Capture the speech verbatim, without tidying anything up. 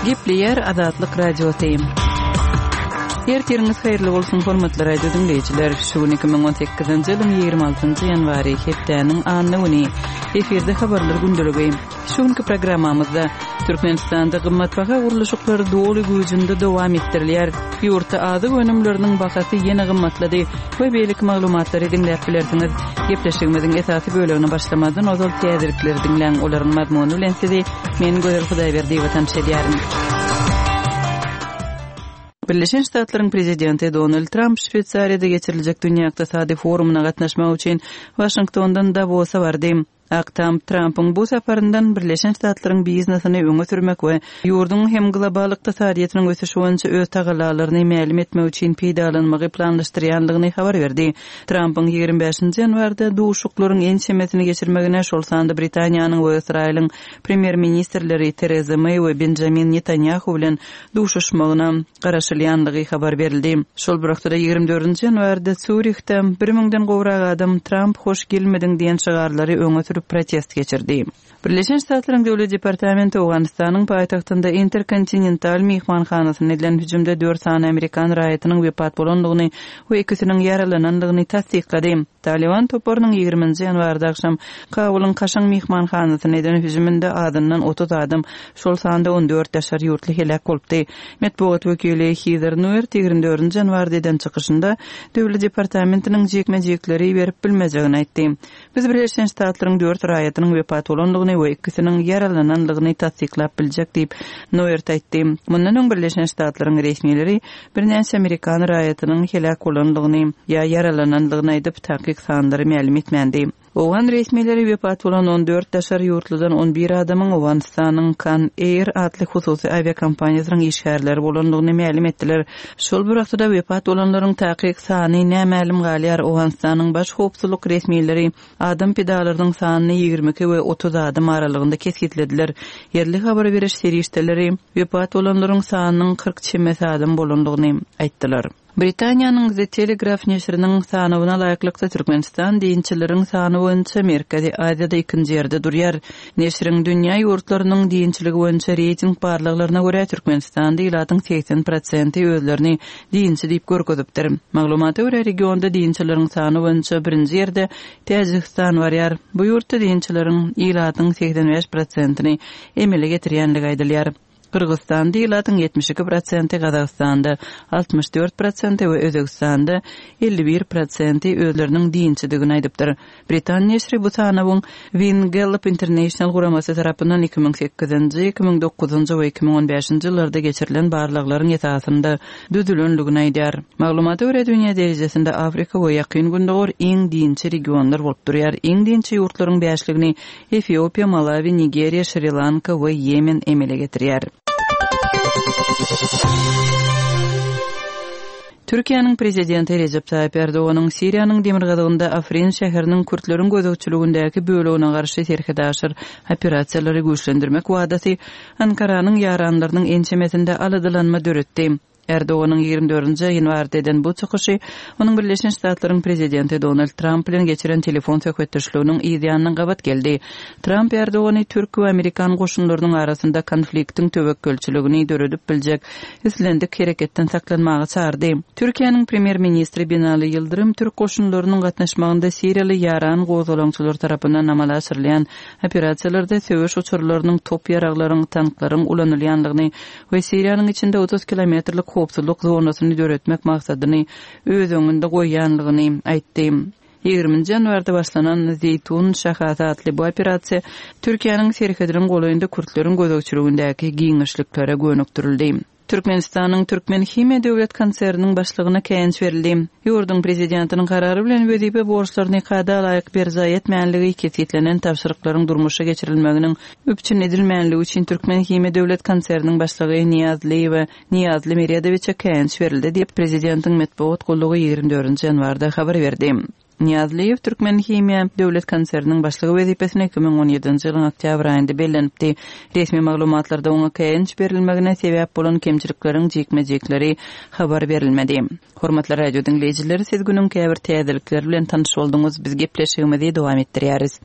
Gepleýär Azatlyk Radiosy. Ertiriňiz haýyrly bolsun, hormatly radio diňleýjiler. Şu gün iki müň on sekizinji ýylyň ýigrimi altynjy ýanwary, hepdäniň anna güni. Efirde habarlar gündeligi. Şu günki programmamyzda Türkmenistanda gymmatbaha gurluşyklar doly güýjünde dowam etdirilýär. Ýurtda azyk önümleriniň bahasy ýene gymmatlady we beýleki maglumatlary diňläp bilersiňiz. Gepleşigimiziň esasy bölegine başlamazdan ozal täzelikleri diňläň, olaryň mazmuny bilen sizi men Gözel Hudaýberdiýewa tanyş edýärin. Birleşen Ştatlaryň prezidenti Donald Tramp Şweýsariýada geçiriljek Dünýä ykdysady forumyna gatnaşmak üçin Waşingtondan Dawosa bardy. Ak Tam Trampyň bu saparyndan Birleşen Ştatlaryň biznesini öňe sürmek we ýurduň hem global ykdysadyýetiniň ösüşi boýunça öz tagallalaryny mälim etmek üçin peýdalanmagy planlaşdyrýandygyny habar berdi. Trampyň ýigrimi bäşinji ýanwarda duşuşyklaryň ençemesini geçirmegine, şol sanda Britaniýanyň we Ysraýylyň premýer-ministrleri Tereza Meý we Benjamin Netanýahu bilen duşuşmagyna garaşylýandygy habar berildi. Şol bir wagtda ýigrimi dördünji ýanwarda Sýurihde bir müňden gowrak adam Tramp hoş gelmediň diýen şygarlary öňe sürüp protest geçirdi. Birleşen Ştatlaryň Döwlet departamenti Owganystanyň paýtagtynda Interkontinental myhmanhanasyna edilen hüjümde dört sany amerikan raýatynyň wepat bolandygyny we ikisiniň ýaralanandygyny tassyklady. Taliban toparynyň ýigriminji ýanwarda agşam Kabulyň kaşaň myhmanhanasyna eden hüjüminde azyndan otuz adam, şol sanda on dört daşary ýurtly heläk bolupdy. Metbugat wekili Heather Nauert ýigrimi dördünji ýanwarda eden çykyşynda Döwlet departamentiniň jikme-jikleri berip bilmejegini aýtdy. Biz Birleşen Ştatlaryň dört raýatynyň wepat bolandygyny we ikisiniň ýaralanandygyny tassyklap biljek diýip Nauert aýtdy. Mundan öň Birleşen Ştatlaryň resmileri birnäçe amerikan raýatynyň heläk bolandygyny ýa ýaralanandygyny aýdyp, takyk sanlary mälim etmändi. Owgan resmileri wepat bolan on dört daşary ýurtludan on bir adamyň Owganystanyň Kan Air atly hususy awiakompaniýasynyň işgärleri bolandygyny mälim etdiler. Şol bir wagtda wepat bolanlaryň takyk sany nämälim galýar. Owganystanyň baş howpsuzlyk resmileri adam pidalarynyň sanyny ýigrimi iki we otuz adam aralygynda kesgitlediler. Ýerli habar beriş serişdeleri wepat bolanlaryň sanynyň kyrk çemesi adam bolandygyny aýtdylar. Britaniýanyň The Telegraph neşiriniň sanawyna laýyklykda Türkmenistan dinçileriň sany boýunça Merkezi Aziýada ikinji ýerde durýar. Neşiriň dünýä ýurtlarynyň dinçiligi boýunça reýting barlaglaryna görä Türkmenistanda ilatyň seksen prosenti özlerini dinçi diýip görkezipdir. Maglumata görä regionda dinçileriň sany boýunça birinji ýerde Täjigistan barýar. Bu ýurtda dinçileriň ilatyň seksen bäş prosentini emele getirýänligi aýdylýar. Gyrgyzystanda ilatyň ýetmiş iki prosenti, Gazagystanda altmyş dört prosenti we Özbekistanda elli bir prosenti özleriniň dinçidigini aýdypdyr. Britan neşiri bu sanawyň Win Gallup International guramasy tarapyndan iki müň sekizinji, iki müň dokuzynjy we iki müň on bäşinji ýyllarda geçirilen barlaglaryň esasynda düzülendigini aýdýar. Maglumata görä dünýä derejesinde Afrika we Ýakyn Gündogar iň dinçi regionlar bolup durýar. Iň dinçi ýurtlaryň bäşligini Efiopiýa, Malawi, Nigeriýa, Şri-Lanka we Ýemen emele getirýär. Türkiýäniň prezidenti Recep Tayyip Erdoganyň Siriýanyň demirgazygynda Afrin şäheriniň kürtleriň gözegçiligindäki bölegine garşy serhedaşyr operasiýalary güýçlendirmek wadasy Ankaranyň ýaranlarynyň ençemesinde aladalanma döretdi. Erdoganyň ýigrimi dördünji ýanwarda eden bu çykyşy onuň Birleşen Ştatlaryň prezidenti Donald Trump bilen geçiren telefon söhbetdeşliginiň yz ýanyna gabat geldi. Trump Erdogany Türk we Amerikan goşunlarynyň arasynda konfliktiň töwekgelçiligini döredip biljek islendik hereketden saklanmaga çağırdy. Türkiýäniň premýer-ministri Binali Ýyldyrym Türk goşunlarynyň gatnaşmagynda Siriýaly ýaran gozgalaňçylar tarapyndan amala aşyrylýan operasiýalarda söweş uçarlarynyň, top ýaraglaryň, tanklaryň ulanylýandygyny we Siriýanyň içinde otuz kilometrlik howpsuzlyk zonasyny döretmek maksadyny öz öňünde goýýanlygyny aýtdy. Ýigriminji ýanwarda başlanan Zeýtun şahasy atly bu operasiýa Türkiýäniň serhediniň golaýynda kürtleriň gözegçiligindäki giňişliklere gönükdirildi. Türkmenistanyň Türkmen Himiýa Döwlet konserniniň başlygyna käýinç berildi. Ýurduň prezidentiniň karary bilen wezipe borçlaryny kada laýyk berjaý etmänligi kesgitlenen tabşyryklaryň durmuşa geçirilmeginiň üpjün edilmänligi üçin Türkmen Himiýa Döwlet konserniniň başlygy Niýazlyýewa Niýazly Meredowiçe käýinç berildi diýip prezidentiň metbugat gullugy ýigrimi dördünji ýanwarda habar berdi. Niýazlyýew Türkmen Himiýa Döwlet konserniniň başlygy wezipesine iki müň on ýedinji ýylyň oktýabr aýynda bellenipdi. Resmi maglumatlarda oňa käýinç berilmegine sebäp bolan kemçilikleriň jikme-jikleri habar berilmedi. Hormatly radio diňleýjiler, siz günüň käbir täzelikleri bilen tanyş bolduňyz. Biz gepleşigimizi dowam etdirýäris.